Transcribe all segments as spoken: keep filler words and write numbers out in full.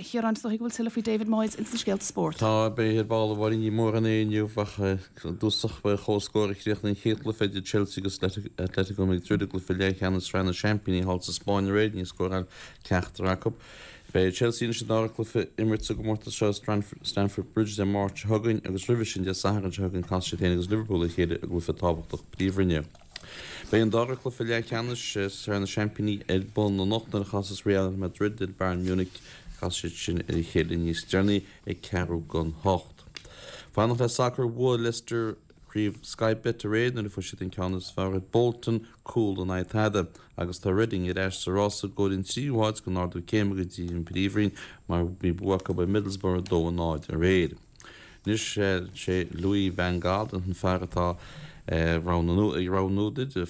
Chiaráin is dóigh go bhfuil tuilleadh faoi David Moyes ins na scéalta spóirt. Tá beidh ar ball a Mháirín ní mór an inniu ach dúsach ba chomhscór a chríochnaigh an chéad chluiche idir Chelsea agus Atletico Madrid i gcluiche leathcheannais Sraith na Seaimpíní thall sa Spáinn aréir níor scóráil ceachtar acu. Beidh Chelsea anois an dara cluiche imirt sa gcomórtas seo Stamford Bridge Dé Máirt seo chugainn agus roimhe sin Dé Sathairn seo chugainn casfaidh siad féin agus Liverpool a chéile i gcluiche tábhachtach príomhroinne. Beidh an dara cluiche leathcheannais Sraith na Seaimpíní ar bun anocht nuair a chasas Real Madrid ar Bayern Munich casfaidh siad sin ar a chéile níos deireanaí ag ceathrú don hocht. Fanacht le sacar bhuaigh Leicester craobh Sky Bet aréir nuair a fuair siad an ceann is fearr ar Bolton cúl in aghaidh tada agus tá Reading ar ais sa rása i gcomhair an tríú háit don ardú céime go dtí an Phríomhroinn mar bhí bua acu ar Middlesbrough dó a náid aréir. Anois sé Louis van Gaal an fear atá ag roghnú duit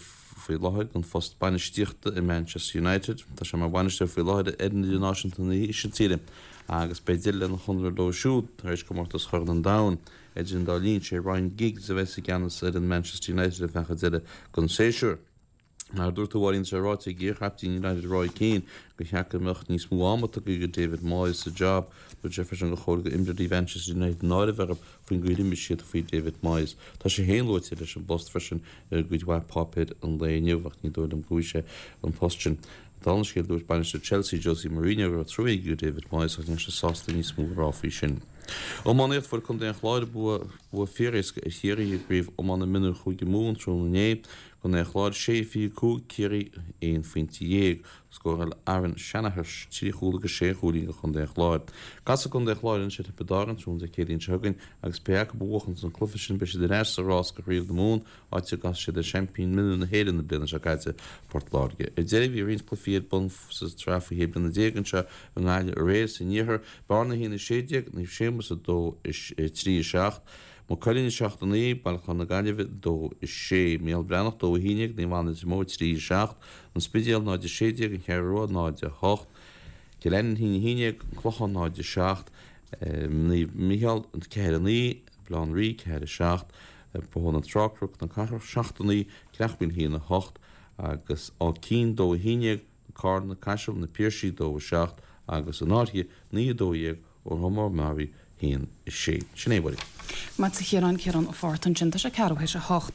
faoi láthair don phost bainistíochta i Manchester United. Tá sé mar bhainisteoir faoi láthair ar fhoireann idirnáisiúnta na hÍsiltíre agus beidh deireadh lena chonradh leo siúd tar éis comórtas Chorn an Domhain. Idir an dá linn, sé Ryan Giggs a bheas i gceannas ar an Manchester United ar feadh an deireadh den séasúr. Mar a dúirt tú a Mháirín, tá sé ráite ag iarchaptaen United Roy Keane gur cheart go mbeadh níos mó ama tugtha do David Moyes sa job. Dúirt sé freisin gur chóir d'imreoirí Manchester United náire a bheith orthu faoin gcaoi ar imir siad faoi David Moyes. Tá sé féin luaite leis an bpost freisin ar gcuid mhaith páipéir an lae inniu ach ní dóigh liom go bhfaighidh sé an post sin. Dála an scéil dúirt bainisteoir Chelsea Jose Mourinho go raibh trua aige do David Moyes ach níl sé sásta níos mó a rá faoi sin. Iománaíocht Fuair Contae an Chláir bua bua fíoréasca ar Chiarraí i gcraobh iomána mionúir Chúige Mumhan tráthnóna inné. Contae an Chláir sé fiche cúig Ciarraí aon phointe dhéag. Scóráil Aaron Shanahan trí chúl agus sé chúilín do Chontae an Chláir. Casfaidh Contae an Chláir anois ar Thiobraid Árann tráthnóna Dé Céadaoin seo chugainn agus pé acu a bhuachanns an cluiche sin beidh siad ar ais sa rás do chraobh na Mumhan áit a gcasfaidh siad ar seaimpín mionúir na hÉireann na bliana seo caite, Port Láirge. Ar deireadh bhí roinnt cluichí ar bun sa tsraith faoi shé bliana déag anseo i nGaillimh aréir san iarthar, Bearna a haon a sé déag, Naomh Séamus a dó a trí a seacht, Maigh Cuilinn a seacht a naoi, Baile Chláir na Gaillimhe dó a sé, Mícheál Breathnach dó a haon déag, Naomh Anna Leitir Móir trí a seacht, An Spidéal náid a sé déag, An Cheathrú Rua náid a hocht, Cill Ainnín a haon a haon déag, An Clochán náid a seacht, Naomh Micheál ceathair a naoi, Baile Átha an Rí ceathair a seacht, Bóthar na Trá, Cnoc na Cathrach seacht a naoi, Creachmhaoil a haon a hocht agus Áth Cinn dó a haon déag, Carna, Caiseal, Na Piarsaigh dó a seacht agus An Fhairche naoi a dó dhéag, Órtha Meáraí a haon a sé. Sin é, a Mháirín. Maith a Chiaráin, Ciarán Ó Fátharta ansin, tá sé ceathrú théis a hocht.